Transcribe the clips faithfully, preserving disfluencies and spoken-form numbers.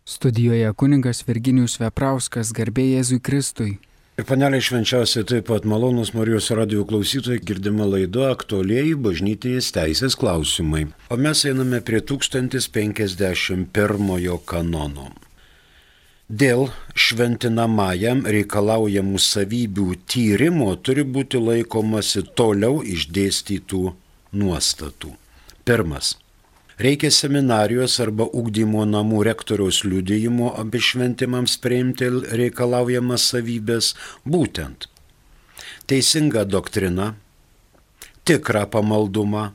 Studijoje kunigas Virginijus Veprauskas, garbė Jėzui Kristui. Ir panelė švenčiausiai taip pat malonus Marijos radijo klausytojai, girdima laida aktualieji bažnytinės teisės klausimai. O mes einame prie tūkstantis penkiasdešimt pirmojo kanono. Dėl šventinamajam reikalaujamų savybių tyrimo turi būti laikomasi toliau išdėstytų nuostatų. Pirmas. Reikia seminarijos arba ugdymo namų rektoriaus liudijimo abi šventimams priimti reikalaujamas savybės, būtent teisinga doktrina, tikrą pamaldumą,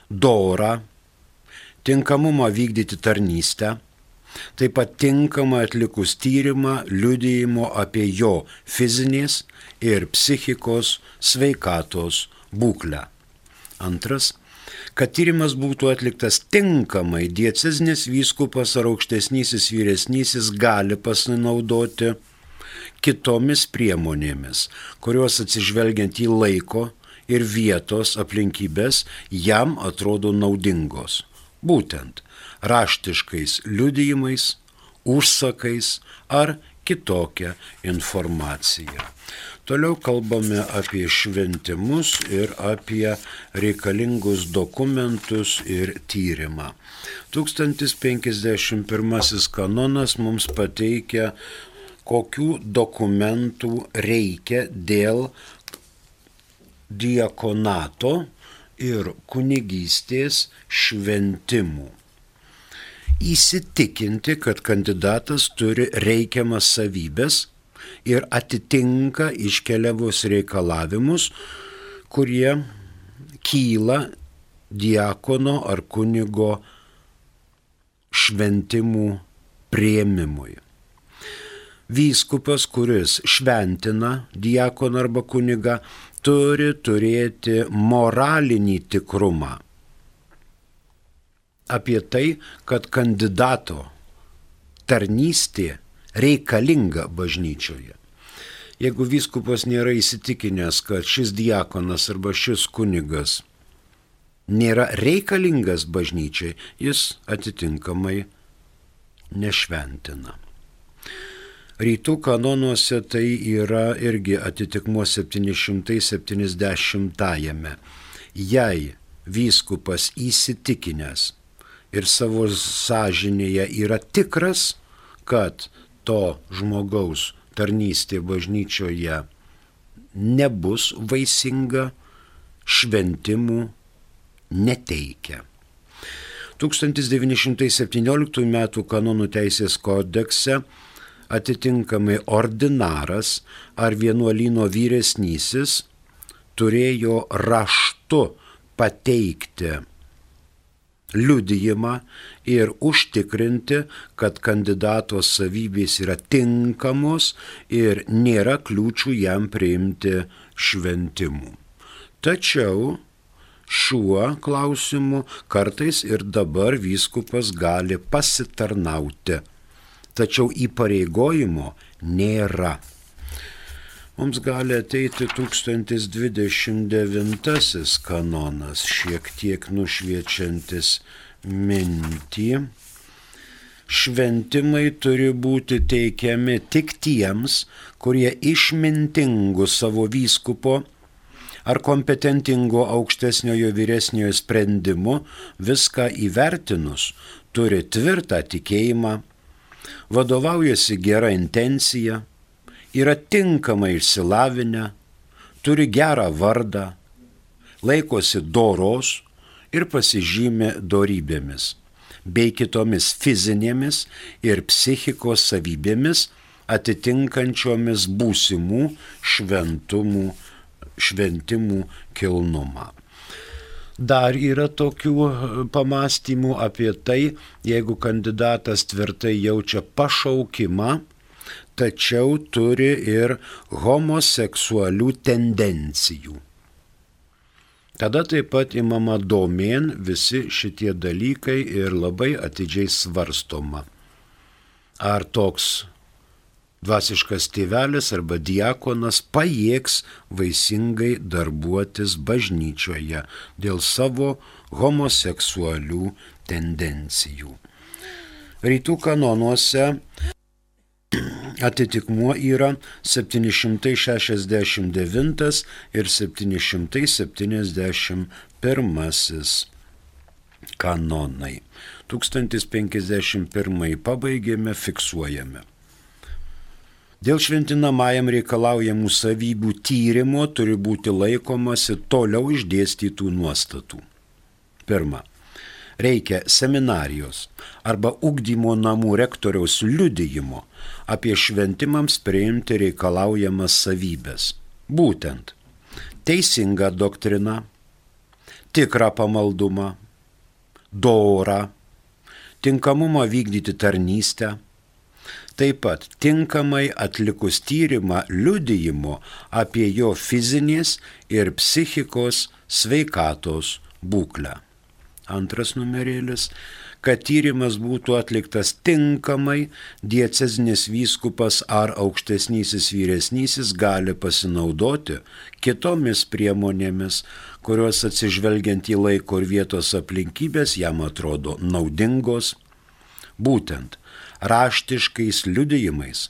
dorą, tinkamumą vykdyti tarnystę, taip pat tinkamą atlikus tyrimą liudijimo apie jo fizinės ir psichikos sveikatos būklę. Antras. Kad tyrimas būtų atliktas tinkamai, diecezinis vyskupas ar aukštesnysis vyresnysis gali pasinaudoti kitomis priemonėmis, kurios atsižvelgiant į laiko ir vietos aplinkybės jam atrodo naudingos. Būtent raštiškais liudijimais, užsakais ar kitokia informacija. Toliau kalbame apie šventimus ir apie reikalingus dokumentus ir tyrimą. tūkstantis penkiasdešimt pirmasis kanonas mums pateikia, kokių dokumentų reikia dėl diakonato ir kunigystės šventimų. Įsitikinti, kad kandidatas turi reikiamas savybės ir atitinka iškeliavus reikalavimus, kurie kyla diakono ar kunigo šventimų priėmimui. Vyskupas, kuris šventina diakoną arba kunigą, turi turėti moralinį tikrumą apie tai, kad kandidato tarnystė reikalinga bažnyčioje. Jeigu vyskupas nėra įsitikinęs, kad šis diakonas arba šis kunigas nėra reikalingas bažnyčiai, jis atitinkamai nešventina. Rytų kanonuose tai yra irgi atitikmuo septyni šimtai septyniasdešimtajame. Jei vyskupas įsitikinęs ir savo sąžinėje yra tikras, kad to žmogaus tarnystė bažnyčioje nebus vaisinga, šventimų neteikia. tūkstantis devyni šimtai septynioliktųjų metų kanonų teisės kodekse atitinkamai ordinaras ar vienuolyno vyresnysis turėjo raštu pateikti liudijimą ir užtikrinti, kad kandidato savybės yra tinkamos ir nėra kliūčių jam priimti šventimų. Tačiau šiuo klausimu kartais ir dabar vyskupas gali pasitarnauti, tačiau įpareigojimo nėra. Mums gali ateiti tūkstantis dvidešimt devintasis kanonas, šiek tiek nušviečiantis mintį. Šventimai turi būti teikiami tik tiems, kurie išmintingų savo vyskupo ar kompetentingo aukštesniojo vyresniojo sprendimu viską įvertinus turi tvirtą tikėjimą, vadovaujasi gera intencija, yra tinkamai išsilavinę, turi gerą vardą, laikosi doros ir pasižymė dorybėmis, bei kitomis fizinėmis ir psichikos savybėmis atitinkančiomis būsimų šventumų, šventimų kilnumą. Dar yra tokių pamastymų apie tai, jeigu kandidatas tvirtai jaučia pašaukimą, tačiau turi ir homoseksualių tendencijų. Tada taip pat imama domėn visi šitie dalykai ir labai atidžiai svarstoma. Ar toks dvasiškas tėvelis arba diakonas pajėgs vaisingai darbuotis bažnyčioje dėl savo homoseksualių tendencijų. Rytų kanonuose atitikmuo yra septyni šimtai šešiasdešimt devintas ir septyni šimtai septyniasdešimt pirmasis kanonai. tūkstantis penkiasdešimt pirmąjį pabaigėme, fiksuojame. Dėl šventinamajam reikalaujamų savybių tyrimo turi būti laikomasi toliau išdėstytų nuostatų. Pirma, reikia seminarijos arba ugdymo namų rektoriaus liudijimo apie šventimams priimti reikalaujamas savybės. Būtent teisingą doktriną, tikrą pamaldumą, dorą, tinkamumą vykdyti tarnystę, taip pat tinkamai atlikus tyrimą liudijimo apie jo fizinės ir psichikos sveikatos būklę. Antras numerėlis, kad tyrimas būtų atliktas tinkamai, diecezinis vyskupas ar aukštesnysis vyresnysis gali pasinaudoti kitomis priemonėmis, kurios atsižvelgiant į laiko ir vietos aplinkybės jam atrodo naudingos, būtent raštiškais liudijimais,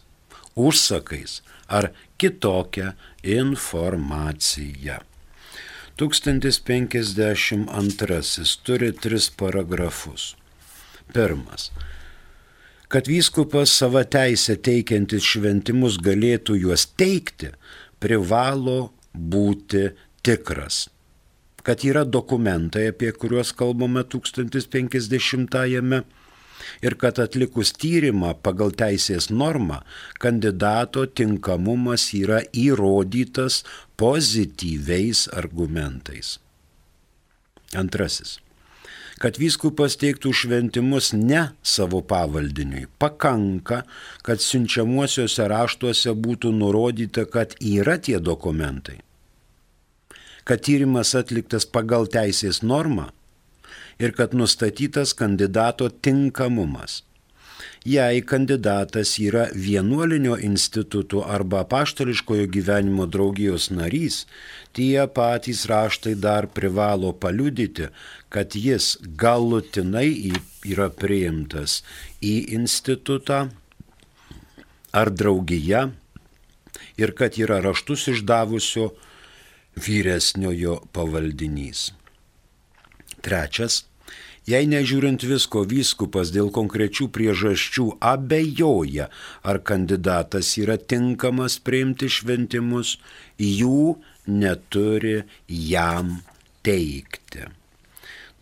užsakais ar kitokia informacija. tūkstantis penkiasdešimt antrasis turi tris paragrafus. Pirmas. Kad vyskupas savo teisę teikiantis šventimus galėtų juos teikti, privalo būti tikras. Kad yra dokumentai, apie kuriuos kalbame tūkstantis penkiasdešimtajame, ir kad atlikus tyrimą pagal teisės normą, kandidato tinkamumas yra įrodytas pozityviais argumentais. Antrasis. Kad vyskupas teiktų šventimus ne savo pavaldiniui, pakanka, kad siunčiamuosiuose raštuose būtų nurodyta, kad yra tie dokumentai. Kad tyrimas atliktas pagal teisės normą ir kad nustatytas kandidato tinkamumas. Jei kandidatas yra vienuolinio instituto arba apaštališkojo gyvenimo draugijos narys, tie patys raštai dar privalo paliudyti, kad jis galutinai yra priimtas į institutą ar draugiją ir kad yra raštus išdavusio vyresniojo pavaldinys. Trečias. Jei nežiūrint visko vyskupas dėl konkrečių priežasčių abejoja, ar kandidatas yra tinkamas priimti šventimus, jų neturi jam teikti.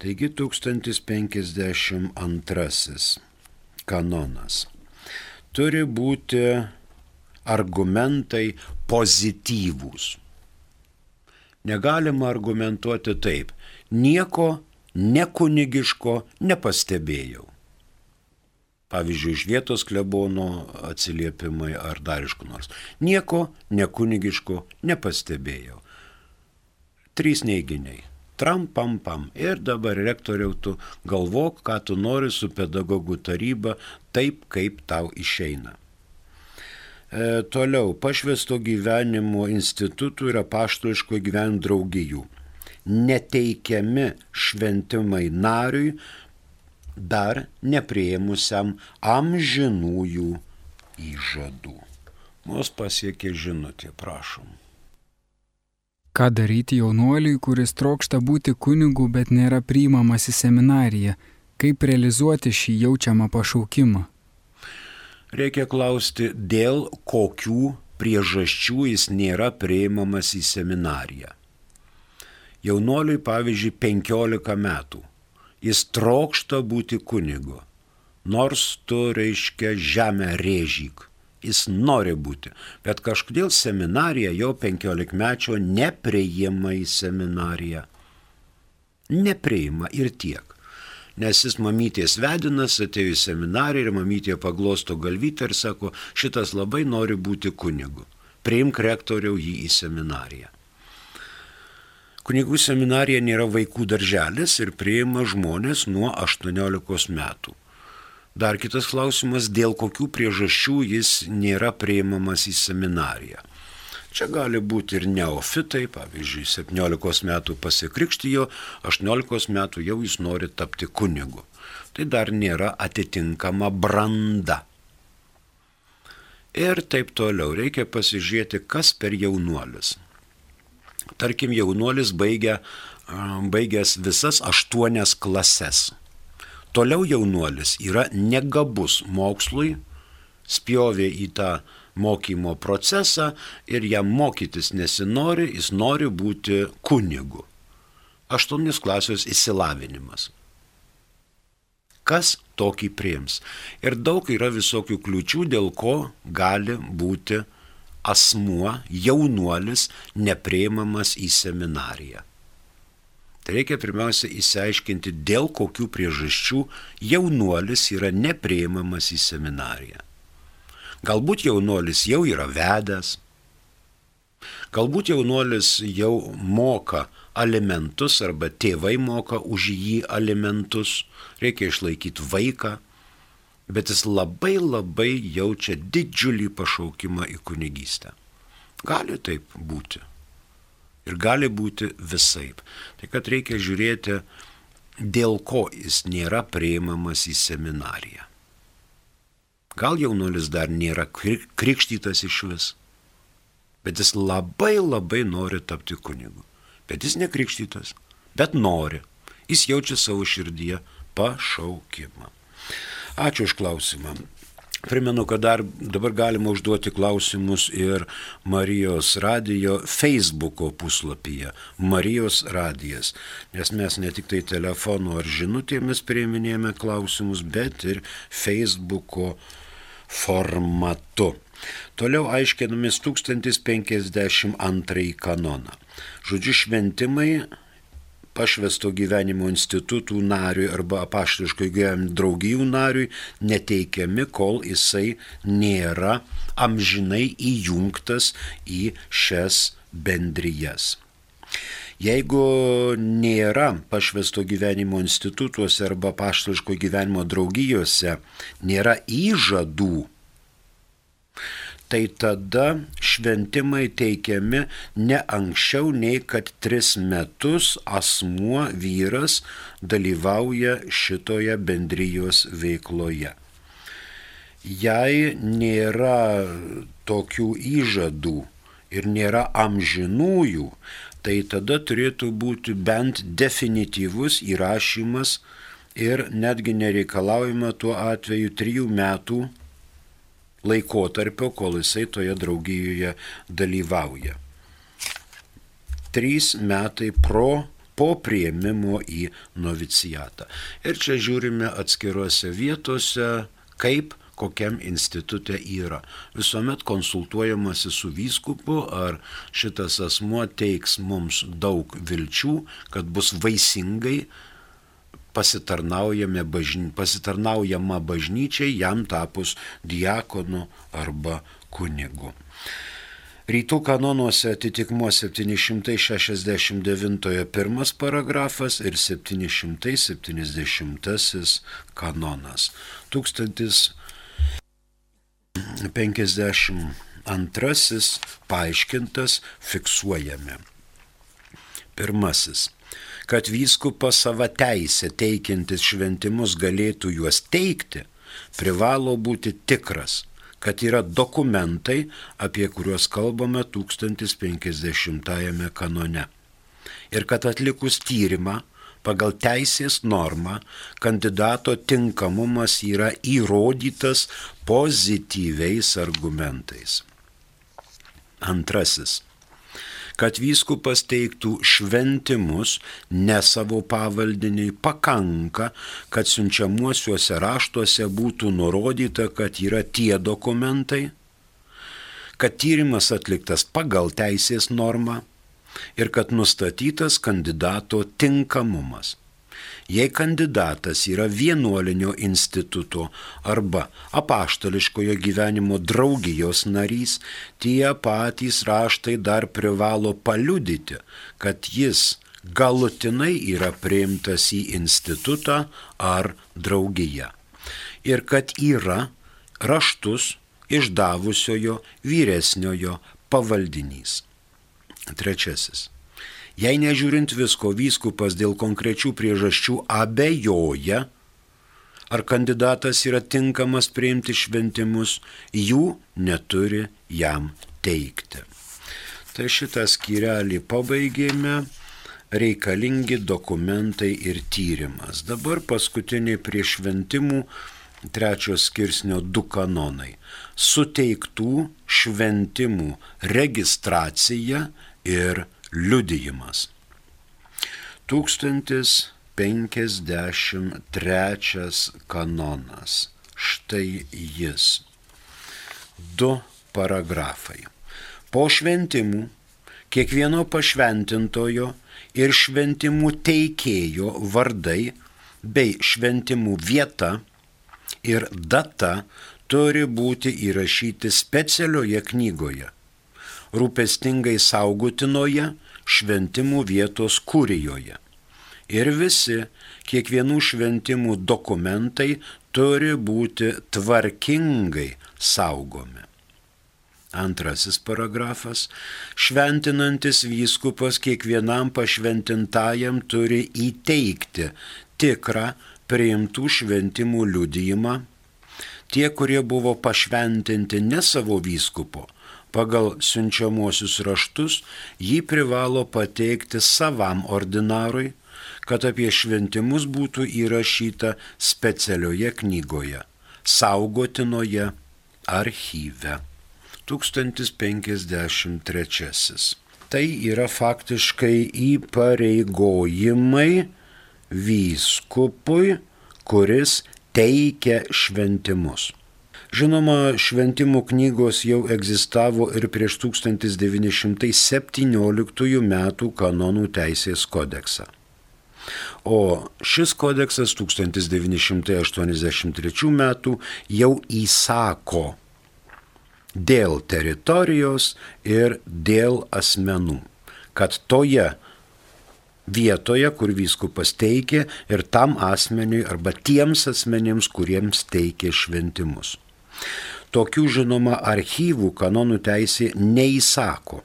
Taigi tūkstantis penkiasdešimt antrasis kanonas. Turi būti argumentai pozityvūs. Negalima argumentuoti taip, nieko nekunigiško nepastebėjau. Pavyzdžiui, iš vietos klebono atsiliepimai ar dar iš kur nors. Nieko nekunigiško nepastebėjau. Trys neiginiai. Tram, pam, pam. Ir dabar rektoriau tu galvok, ką tu nori su pedagogų taryba, taip kaip tau išeina. E, toliau, pašvęsto gyvenimo institutų ir apaštališko gyvenimo draugijų. Neteikiami šventimai nariui dar nepriėmusiam amžinųjų įžadų. Mus pasiekė žinutė, prašom. Ką daryti jaunuoliui, kuris trokšta būti kunigu, bet nėra priimamas į seminariją? Kaip realizuoti šį jaučiamą pašaukimą? Reikia klausti, dėl kokių priežasčių jis nėra priimamas į seminariją. Jaunuoliui, pavyzdžiui, penkiolika metų. Jis trokšta būti kunigu. Nors tu, reiškia, žemę rėžyk. Jis nori būti. Bet kažkodėl seminarija jo penkiolikmečio nepriima į seminariją. Nepriima ir tiek. Nes jis mamytės vedinas, atėjo į seminariją ir mamytė paglosto galvytę ir sako, šitas labai nori būti kunigu. Priimk rektoriau jį į seminariją. Kunigų seminarija nėra vaikų darželis ir priima žmonės nuo aštuoniolikos metų. Dar kitas klausimas, dėl kokių priežasčių jis nėra priimamas į seminariją. Čia gali būti ir neofitai, pavyzdžiui, septyniolikos metų pasikrikštijo, aštuoniolikos metų jau jis nori tapti kunigu. tai dar nėra atitinkama branda. Ir taip toliau. Reikia pasižiūrėti, kas per jaunuolis. Tarkim, jaunuolis baigia, baigęs visas aštuonias klases. Toliau jaunuolis yra negabus mokslui, spjovė į tą mokymo procesą ir jam mokytis nesinori, jis nori būti kunigu. Aštuonios klasės išsilavinimas. Kas tokį priims? Ir daug yra visokių kliūčių, dėl ko gali būti asmuo, jaunuolis, nepriimamas į seminariją. Tai reikia pirmiausia išsiaiškinti, dėl kokių priežasčių jaunuolis yra nepriimamas į seminariją. Galbūt jaunuolis jau yra vedęs, galbūt jaunuolis jau moka alimentus arba tėvai moka už jį alimentus, reikia išlaikyti vaiką, bet jis labai labai jaučia didžiulį pašaukimą į kunigystę. Gali taip būti. Ir gali būti visaip. Tai kad reikia žiūrėti, dėl ko jis nėra priimamas į seminariją. Gal jaunuolis dar nėra krikštytas iš vis, bet jis labai labai nori tapti kunigu. Bet jis nekrikštytas, bet nori. Jis jaučia savo širdyje pašaukimą. Ačiū už klausimą. Primenu, kad dar dabar galima užduoti klausimus ir Marijos radijo Facebooko puslapyje. Marijos radijas. Nes mes ne tik tai telefonu ar žinutėmis priiminėjame klausimus, bet ir Facebooko formatu. Toliau aiškinamės tūkstantis penkiasdešimt antrąjį kanoną. Žodžiu, šventimai pašvęsto gyvenimo institutų nariui arba apaštališko gyvenimo draugijų nariui neteikiami, kol jisai nėra amžinai įjungtas į šias bendrijas. Jeigu nėra pašvęsto gyvenimo institutuose arba apaštališko gyvenimo draugijose, nėra įžadų, tai tada šventimai teikiami ne anksčiau nei kad tris metus asmuo vyras dalyvauja šitoje bendrijos veikloje. Jei nėra tokių įžadų ir nėra amžinųjų, tai tada turėtų būti bent definityvus įrašymas ir netgi nereikalaujama tuo atveju trijų metų laikotarpio, kol jisai toje draugijoje dalyvauja. Trys metai pro, po priėmimo į novicijatą. Ir čia žiūrime atskiruose vietose, kaip kokiam institute yra. Visuomet konsultuojamasi su vyskupu, ar šitas asmuo teiks mums daug vilčių, kad bus vaisingai pasitarnaujama bažny, pasitarnaujama bažnyčiai, jam tapus diakonu arba kunigu. Rytų kanonuose atitikmuo septyni šimtai šešiasdešimt devintojo pirmas paragrafas ir septyni šimtai septyniasdešimtasis kanonas. tūkstantis penkiasdešimt antrasis paaiškintas fiksuojame. Pirmasis. Kad vyskupas savo teisę teikiantis šventimus galėtų juos teikti, privalo būti tikras, kad yra dokumentai, apie kuriuos kalbame tūkstantis penkiasdešimtajame kanone. Ir kad atlikus tyrimą pagal teisės normą kandidato tinkamumas yra įrodytas pozityviais argumentais. Antrasis. Kad vyskupas teiktų šventimus ne savo pavaldiniui, pakanka, kad siunčiamuosiuose raštuose būtų nurodyta, kad yra tie dokumentai, kad tyrimas atliktas pagal teisės normą ir kad nustatytas kandidato tinkamumas. Jei kandidatas yra vienuolinio instituto arba apaštališkojo gyvenimo draugijos narys, tie patys raštai dar privalo paliudyti, kad jis galutinai yra priimtas į institutą ar draugiją ir kad yra raštus išdavusiojo vyresniojo pavaldinys. Trečiasis. Jei nežiūrint visko, vyskupas dėl konkrečių priežasčių abejoja, ar kandidatas yra tinkamas priimti šventimus, jų neturi jam teikti. Tai šitą skyrelį pabaigėme, reikalingi dokumentai ir tyrimas. Dabar paskutiniai prie šventimų trečios skirsnio du kanonai. Suteiktų šventimų registracija ir liudijimas. tūkstantis penkiasdešimt trečias kanonas. Štai jis. Du paragrafai. Po šventimų kiekvieno pašventintojo ir šventimų teikėjo vardai bei šventimų vieta ir data turi būti įrašyti specialioje knygoje, rūpestingai saugotinoje šventimų vietos kurijoje. Ir visi kiekvienų šventimų dokumentai turi būti tvarkingai saugomi. Antrasis paragrafas. Šventinantis vyskupas kiekvienam pašventintajam turi įteikti tikrą priimtų šventimų liudijimą. Tie, kurie buvo pašventinti ne savo vyskupo, pagal siunčiamuosius raštus, jį privalo pateikti savam ordinarui, kad apie šventimus būtų įrašyta specialioje knygoje, saugotinoje archyve. tūkstantis penkiasdešimt trečiasis. Tai yra faktiškai įpareigojimai vyskupui, kuris teikia šventimus. Žinoma, šventimų knygos jau egzistavo ir prieš tūkstantis devyni šimtai septynioliktųjų metų kanonų teisės kodeksą. O šis kodeksas tūkstantis devyni šimtai aštuoniasdešimt trečių metų jau įsako dėl teritorijos ir dėl asmenų, kad toje vietoje, kur vyskupas teikė, ir tam asmeniui arba tiems asmenims, kuriems teikė šventimus. Tokių, žinoma, archyvų kanonų teisė neįsako,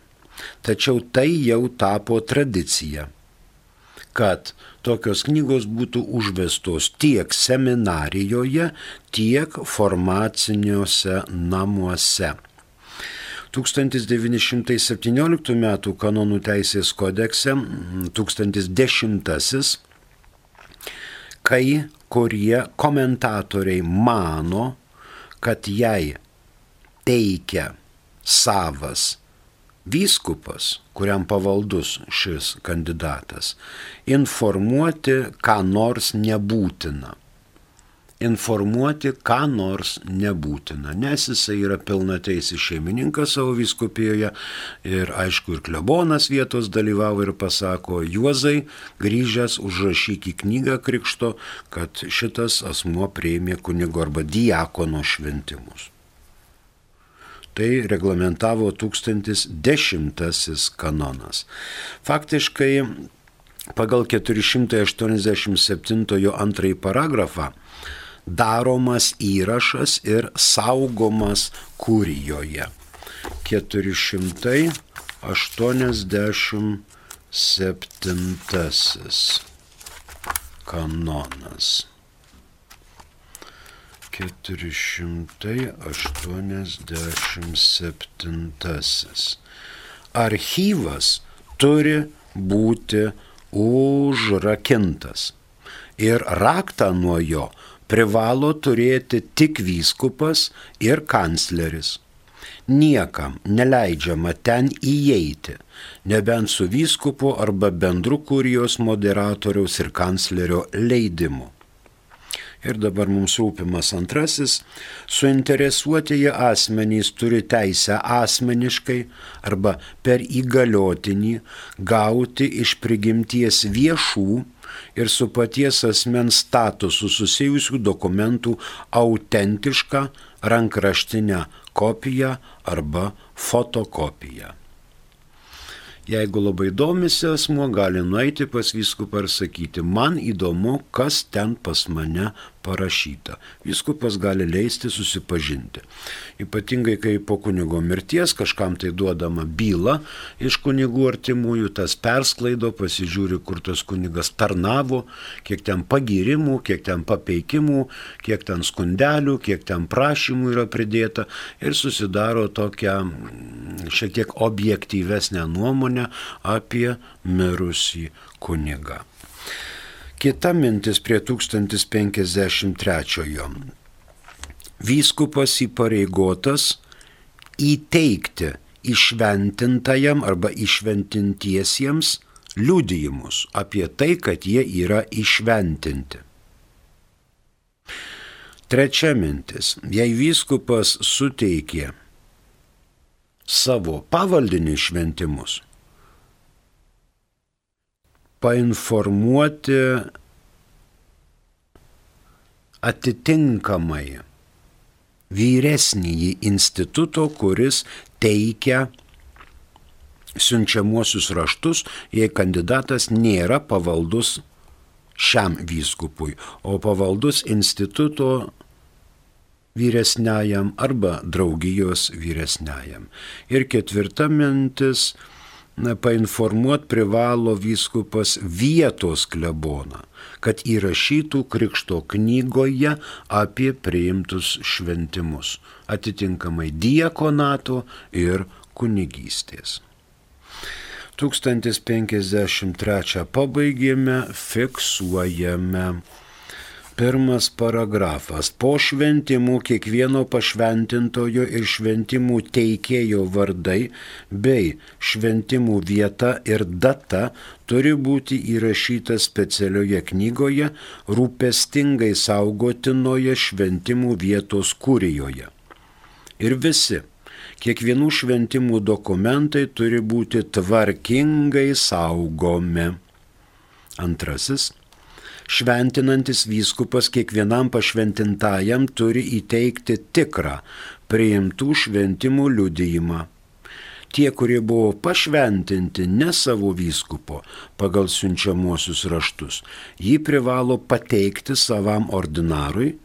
tačiau tai jau tapo tradicija, kad tokios knygos būtų užvestos tiek seminarijoje, tiek formaciniuose namuose. tūkstantis devyni šimtai septynioliktų metų kanonų teisės kodekse, tūkstantis dešimtasis, kai kurie komentatoriai mano, kad jei teikia savas vyskupas, kuriam pavaldus šis kandidatas, informuoti ką nors nebūtina. Informuoti ką nors nebūtina, nes jisai yra pilnateisis šeimininkas savo vyskupijoje ir aišku ir klebonas vietos dalyvavo ir pasako: Juozai, grįžęs užrašyk į knygą krikšto, kad šitas asmuo priėmė kunigo arba diakono šventimus. Tai reglamentavo tūkstantis dešimtasis kanonas. Faktiškai pagal keturi šimtai aštuoniasdešimt septintojo antrąjį paragrafą daromas įrašas ir saugomas kurijoje. keturi šimtai aštuoniasdešimt septintasis kanonas. keturi šimtai aštuoniasdešimt septintasis. Archyvas turi būti užrakintas ir raktą nuo jo privalo turėti tik vyskupas ir kancleris. Niekam neleidžiama ten įeiti, nebent su vyskupu arba bendru kurijos moderatoriaus ir kanclerio leidimu. Ir dabar mums rūpimas antrasis. Suinteresuotieji asmenys turi teisę asmeniškai arba per įgaliotinį gauti iš prigimties viešų ir su paties asmens statusu susijusių dokumentų autentišką rankraštinę kopiją arba fotokopiją. Jeigu labai domisi asmuo, gali nueiti pas vyskupą ir sakyti, man įdomu, kas ten pas mane parašyta. Vyskupas gali leisti susipažinti. Ypatingai, kai po kunigo mirties kažkam tai duodama byla iš kunigų artimųjų, tas persklaido, pasižiūri, kur tas kunigas tarnavo, kiek ten pagyrimų, kiek ten papeikimų, kiek ten skundelių, kiek ten prašymų yra pridėta ir susidaro tokią šiek tiek objektyvesnę nuomonę apie mirusį kunigą. Kita mintis prie tūkstantis penkiasdešimt trečiojo. Vyskupas įpareigotas įteikti įšventintajam arba įšventintiesiems liudijimus apie tai, kad jie yra įšventinti. Trečia mintis. Jei vyskupas suteikė savo pavaldinių šventimus, painformuoti atitinkamai vyresnįjį instituto, kuris teikia siunčiamuosius raštus, jei kandidatas nėra pavaldus šiam vyskupui, o pavaldus instituto vyresniajam arba draugijos vyresniajam. Ir ketvirta mintis. Painformuoti privalo vyskupas vietos kleboną, kad įrašytų krikšto knygoje apie priimtus šventimus, atitinkamai diakonato ir kunigystės. tūkstantis penkiasdešimt trečią pabaigėme, fiksuojame. Pirmas paragrafas. Po šventimų kiekvieno pašventintojo ir šventimų teikėjo vardai bei šventimų vieta ir data turi būti įrašyta specialioje knygoje, rūpestingai saugotinoje šventimų vietos kurijoje. Ir visi, kiekvienų šventimų dokumentai turi būti tvarkingai saugomi. Antrasis. Šventinantis vyskupas kiekvienam pašventintajam turi įteikti tikrą priimtų šventimų liudijimą. Tie, kurie buvo pašventinti ne savo vyskupo pagal siunčiamuosius raštus, jį privalo pateikti savam ordinarui,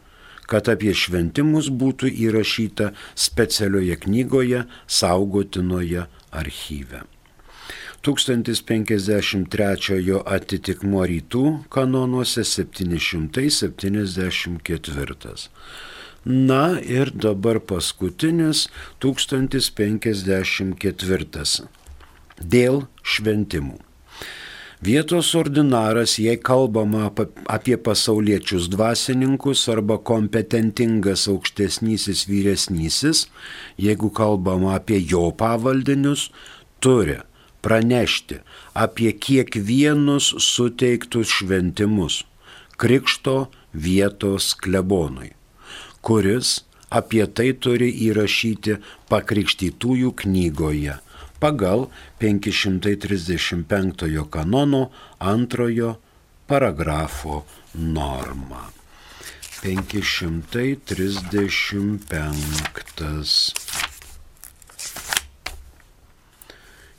kad apie šventimus būtų įrašyta specialioje knygoje saugotinoje archyve. tūkstantis penkiasdešimt trečiojo atitikmuo rytų kanonuose septyni šimtai septyniasdešimt ketvirtas. Na ir dabar paskutinis tūkstantis penkiasdešimt ketvirtas. Dėl šventimų. Vietos ordinaras, jei kalbama apie pasauliečius dvasininkus arba kompetentingas aukštesnysis vyresnysis, jeigu kalbama apie jo pavaldinius, turi pranešti apie kiekvienus suteiktus šventimus krikšto vietos klebonui, kuris apie tai turi įrašyti pakrikštytųjų knygoje pagal penki šimtai trisdešimt penktojo kanono antrojo paragrafo normą. penki šimtai trisdešimt penktas.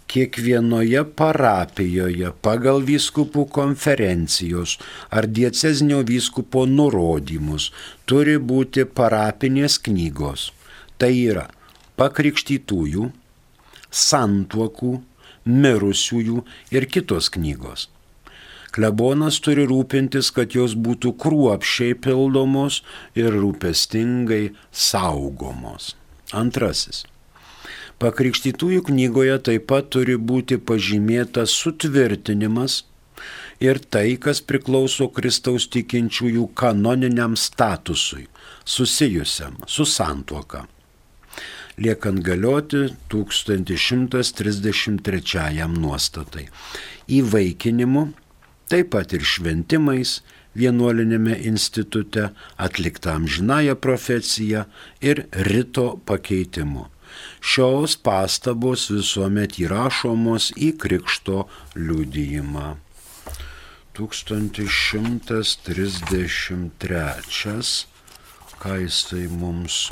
Kiekvienoje parapijoje pagal vyskupų konferencijos ar diecezinio vyskupo nurodymus turi būti parapinės knygos. Tai yra pakrikštytųjų, santuokų, mirusiųjų ir kitos knygos. Klebonas turi rūpintis, kad jos būtų kruopščiai pildomos ir rūpestingai saugomos. Antrasis. Pakrikštytųjų knygoje taip pat turi būti pažymėtas sutvirtinimas ir tai, kas priklauso Kristaus tikinčiųjų kanoniniam statusui, susijusiam su santuoka, liekant galioti tūkstantis šimtas trisdešimt trečiajam nuostatai. Įvaikinimu, taip pat ir šventimais, vienuolinėme institute atlikta amžinąja profecija ir rito pakeitimu. Šios pastabos visuomet įrašomos į krikšto liudijimą. tūkstantis šimtas trisdešimt trečias. Ką jisai mums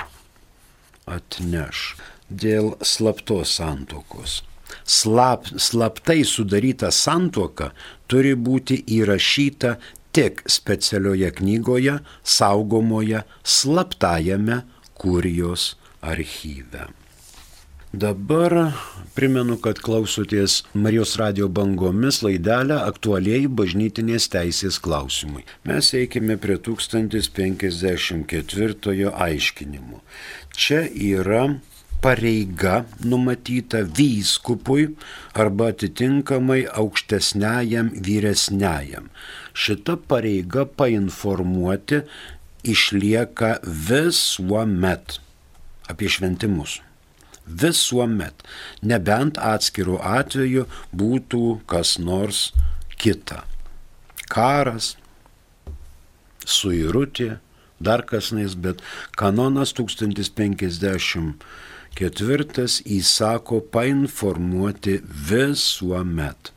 atneš? Dėl slaptos santuokos. Slap, slaptai sudaryta santuoka turi būti įrašyta tik specialioje knygoje, saugomoje slaptajame kurijos archyve. Dabar primenu, kad klausotės Marijos radijo bangomis laidelę aktualiai bažnytinės teisės klausimai. Mes eikime prie tūkstantis penkiasdešimt ketvirtojo aiškinimo. Čia yra pareiga numatyta vyskupui arba atitinkamai aukštesniajam vyresniajam. Šita pareiga painformuoti išlieka visuomet apie šventimus. Visuomet, nebent atskirų atveju būtų kas nors kita. Karas, suirutė, dar kas nais, bet kanonas tūkstantis penkiasdešimt ketvirtas įsako painformuoti visuomet.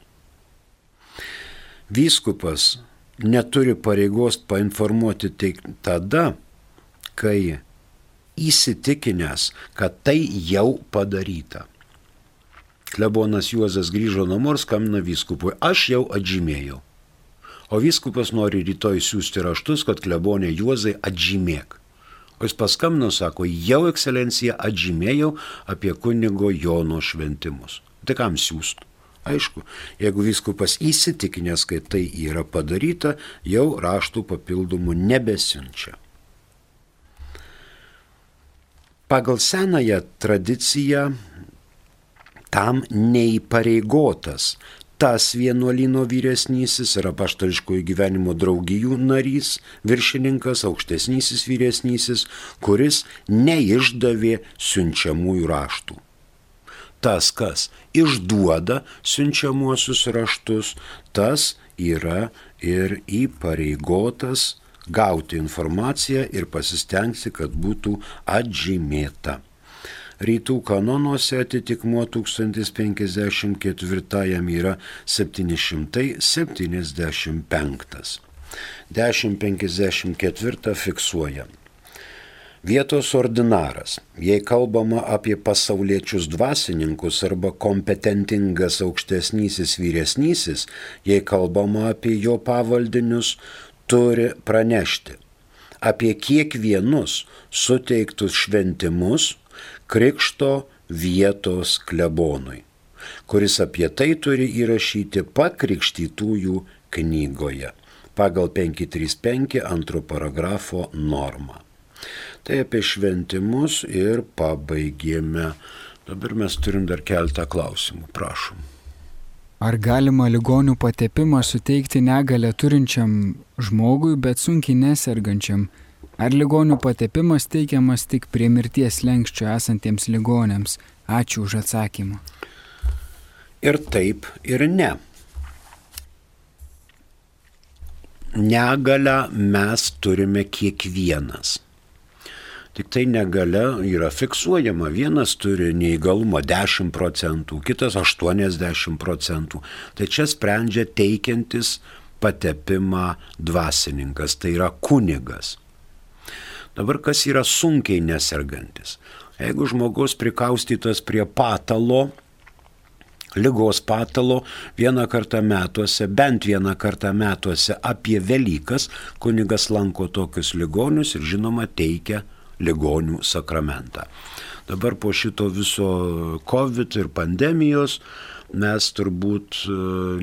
Vyskupas neturi pareigos painformuoti tik tada, kai įsitikinęs, kad tai jau padaryta. Klebonas Juozas grįžo namo ir skambina vyskupui: aš jau atžymėjau. O vyskupas nori rytoj siūsti raštus, kad klebonė Juozai atžymėk. O jis paskambino, sako: jau ekscelencija atžymėjau apie kunigo Jono šventimus. Tai kam siūst? Aišku, jeigu vyskupas įsitikinęs, kad tai yra padaryta, jau raštų papildomų nebesiunčia. Pagal senąją tradiciją tam neįpareigotas tas vienuolyno vyresnysis ir apaštališkojo gyvenimo draugijų narys, viršininkas, aukštesnysis vyresnysis, kuris neišdavė siunčiamųjų raštų. Tas, kas išduoda siunčiamuosius raštus, tas yra ir įpareigotas gauti informaciją ir pasistengti, kad būtų atžymėta. Rytų kanonuose atitikmuo tūkstantis penkiasdešimt ketvirtajam yra septyni šimtai septyniasdešimt penktas. dešimt penkiasdešimt ketvirtą fiksuoja. Vietos ordinaras, jei kalbama apie pasauliečius dvasininkus arba kompetentingas aukštesnysis vyresnysis, jei kalbama apie jo pavaldinius, turi pranešti apie kiekvienus suteiktus šventimus krikšto vietos klebonui, kuris apie tai turi įrašyti pakrikštytųjų knygoje pagal penki trys penki antro paragrafo normą. Tai apie šventimus ir pabaigėme. Dabar mes turim dar keletą klausimų. Prašom. Ar galima ligonių patepimą suteikti negalę turinčiam žmogui, bet sunkiai nesergančiam? Ar ligonių patepimas teikiamas tik prie mirties slenksčio esantiems ligoniams? Ačiū už atsakymą. Ir taip, ir ne. Negalę mes turime kiekvienas. Tik tai negalia yra fiksuojama. Vienas turi neįgalumo dešimt procentų, kitas aštuoniasdešimt procentų. Tai čia sprendžia teikiantis patepimą dvasininkas, tai yra kunigas. Dabar kas yra sunkiai nesergantis? Jeigu žmogus prikaustytas prie patalo, ligos patalo, vieną kartą metuose, bent vieną kartą metuose apie Velykas, kunigas lanko tokius ligonius ir žinoma teikia ligonių sakramentą. Dabar po šito viso COVID ir pandemijos mes turbūt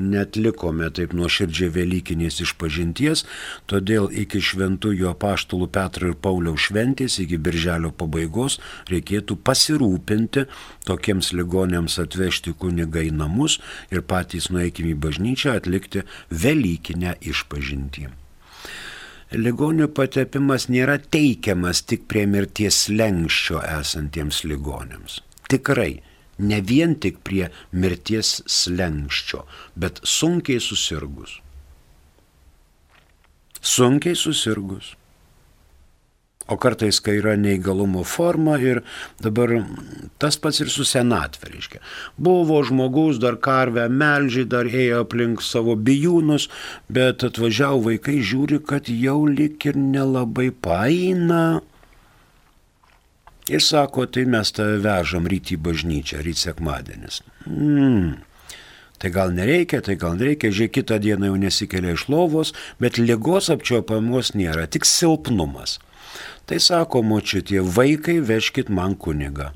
netlikome taip nuoširdžiai velykinės išpažinties, todėl iki šventųjų apaštalų Petro ir Pauliaus šventės, iki birželio pabaigos reikėtų pasirūpinti tokiems ligoniams atvežti kunigą į namus ir patys nueikime į bažnyčią atlikti velykinę išpažintį. Ligonių patepimas nėra teikiamas tik prie mirties slenksčio esantiems ligoniams. Tikrai, ne vien tik prie mirties slenksčio, bet sunkiai susirgus. Sunkiai susirgus. O kartais, kai yra neįgalumo forma ir dabar tas pats ir su senatvė, reiškia. Buvo žmogus, dar karvę melžiai, dar ėjo aplink savo bijūnus, bet atvažiavo vaikai, žiūri, kad jau lik ir nelabai paeina. Ir sako, tai mes tave vežam ryt į bažnyčią, ryt sekmadienis. Mm. Tai gal nereikia, tai gal nereikia, žiūrėk, kitą dieną jau nesikelia iš lovos, bet ligos apčiuopamos nėra, tik silpnumas. Tai sako, močiutė, vaikai, vežkit man kunigą.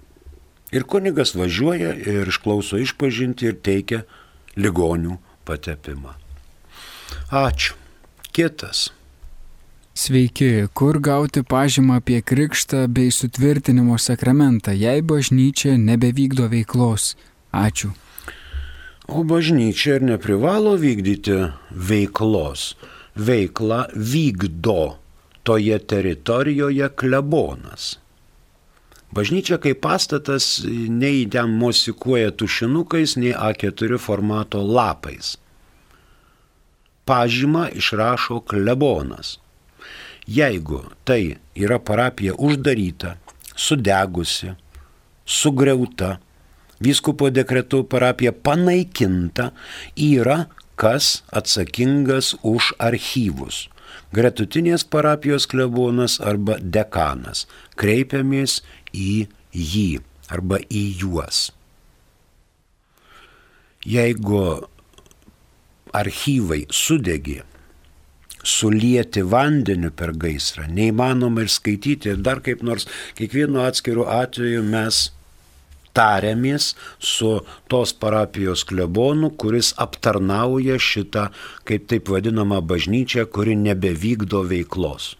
Ir kunigas važiuoja ir išklauso išpažinti ir teikia ligonių patepimą. Ačiū. Kitas. Sveiki, kur gauti pažymą apie krikštą bei sutvirtinimo sakramentą, jei bažnyčia nebevykdo veiklos? Ačiū. O bažnyčia ir neprivalo vykdyti veiklos. Veiklą vykdo toje teritorijoje klebonas. Bažnyčia kaip pastatas nei ten mosikuoja tušinukais, nei A keturi formato lapais. Pažymą išrašo klebonas. Jeigu tai yra parapija uždaryta, sudegusi, sugriauta, vyskupo dekretu parapija panaikinta, yra kas atsakingas už archyvus. Gretutinės parapijos klebonas arba dekanas. Kreipiamės į jį arba į juos. Jeigu archyvai sudegė, sulieti vandeniu per gaisrą, neįmanoma ir skaityti, ir dar kaip nors, kiekvienu atskiru atveju mes tariamės su tos parapijos klebonu, kuris aptarnauja šitą, kaip taip vadinamą bažnyčią, kuri nebevykdo veiklos.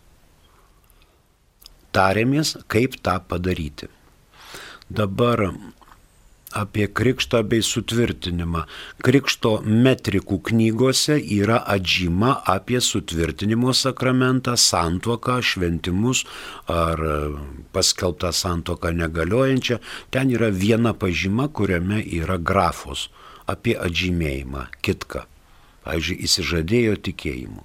Tariamės, kaip tą padaryti. Dabar apie krikštą bei sutvirtinimą. Krikšto metrikų knygose yra atžyma apie sutvirtinimo sakramentą, santuoką, šventimus ar paskelbtą santuoką negaliojančią. Ten yra viena pažyma, kuriame yra grafos apie atžymėjimą, kitką. Pavyzdžiui, įsižadėjo tikėjimu.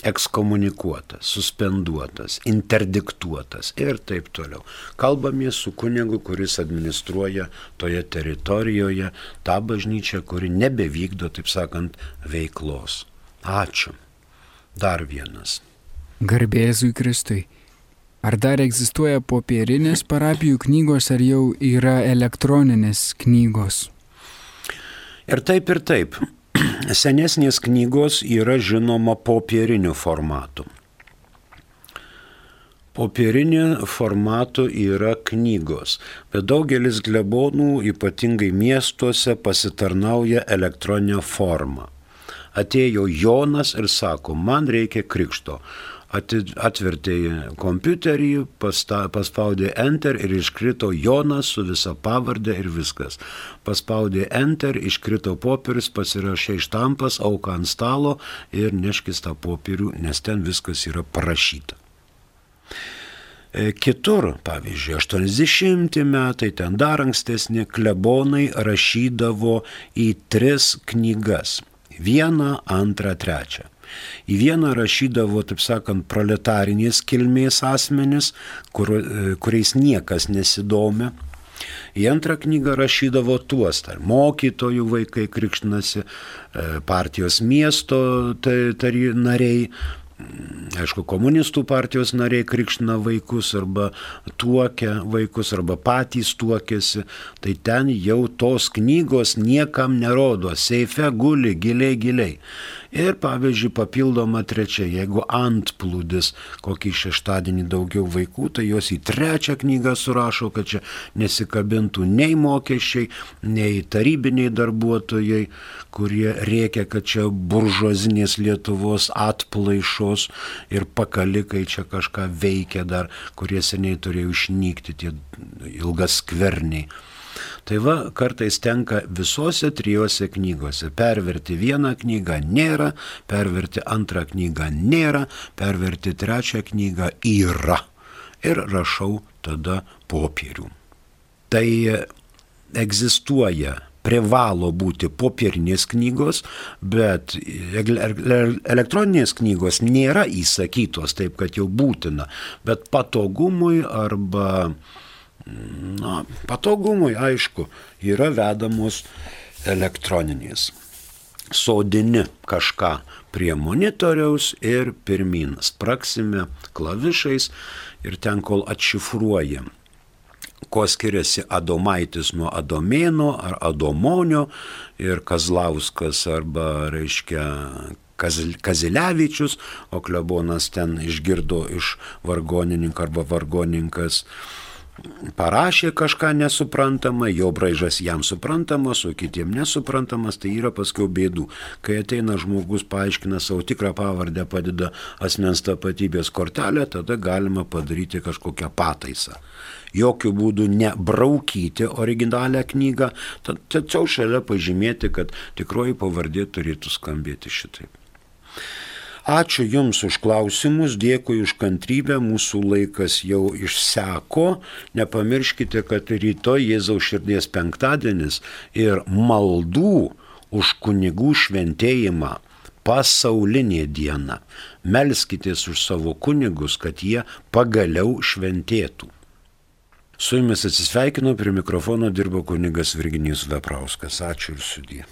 Ekskomunikuotas, suspenduotas, interdiktuotas ir taip toliau. Kalbamės su kunigu, kuris administruoja toje teritorijoje tą bažnyčią, kuri nebevykdo, taip sakant, veiklos. Ačiū. Dar vienas. Garbė Jėzui Kristui. Ar dar egzistuoja popierinės parapijų knygos, ar jau yra elektroninės knygos? Ir taip, ir taip. Senesnės knygos yra žinoma popieriniu formatu. Popieriniu formatu yra knygos, bet daugelis klebonų, ypatingai miestuose, pasitarnauja elektroninę formą. Atėjo Jonas ir sako, man reikia krikšto. Atvertė kompiuterį, paspaudė Enter ir iškrito Jonas su visa pavardė ir viskas. Paspaudė Enter, iškrito popierius, pasirašė štampas, auką ant stalo ir neškis tą popierių, nes ten viskas yra parašyta. Kitur, pavyzdžiui, aštuoniasdešimti metai, ten dar ankstesni klebonai rašydavo į tris knygas. Vieną, antrą, trečią. Į vieną rašydavo, taip sakant, proletarinės kilmės asmenis, kur, kuriais niekas nesidomė. Į antrą knygą rašydavo tuos, tai mokytojų vaikai krikštinasi, partijos miesto tari, nariai, aišku, komunistų partijos nariai krikština vaikus arba tuokia vaikus arba patys tuokėsi, tai ten jau tos knygos niekam nerodo, seife guli giliai giliai. Ir pavyzdžiui, papildoma trečia, jeigu antplūdis kokį šeštadienį daugiau vaikų, tai jos į trečią knygą surašo, kad čia nesikabintų nei mokesčiai, nei tarybiniai darbuotojai, kurie rėkia, kad čia buržuazinės Lietuvos atplaišos ir pakalikai čia kažką veikia dar, kurie seniai turėjo išnykti, tie ilgas skverniai. Tai va, kartais tenka visose trijose knygose. Perverti vieną knygą nėra, perverti antrą knygą nėra, perverti trečią knygą yra. Ir rašau tada popierių. Tai egzistuoja, privalo būti popierinės knygos, bet elektroninės knygos nėra įsakytos taip, kad jau būtina, bet patogumui arba Na, patogumui, aišku, yra vedamos elektroninės. sodini kažką prie monitoriaus ir pirmin spraksime klavišais ir ten kol atšifruojam, kuo skiriasi Adomaitis nuo Adomėno ar Adomonio ir Kazlauskas arba, reiškia, Kazilevičius, o klebonas ten išgirdo iš vargonininko arba vargoninkas parašė kažką nesuprantamą, jo braižas jam suprantamas, o kitiem nesuprantamas, tai yra paskiau bėdų. Kai ateina žmogus, paaiškina savo tikrą pavardę, padeda asmens tapatybės kortelę, tada galima padaryti kažkokią pataisą. Jokių būdų nebraukyti originalią knygą, tačiau šalia pažymėti, kad tikroji pavardė turėtų skambėti šitaip. Ačiū Jums už klausimus, dėkui už kantrybę, mūsų laikas jau išseko. Nepamirškite, kad rytoj Jėzaus širdies penktadienis ir maldų už kunigų šventėjimą pasaulinė diena. Melskitės už savo kunigus, kad jie pagaliau šventėtų. Su Jumis atsisveikinu, prie mikrofono dirbo kunigas Virginijus Veprauskas. Ačiū ir sudie.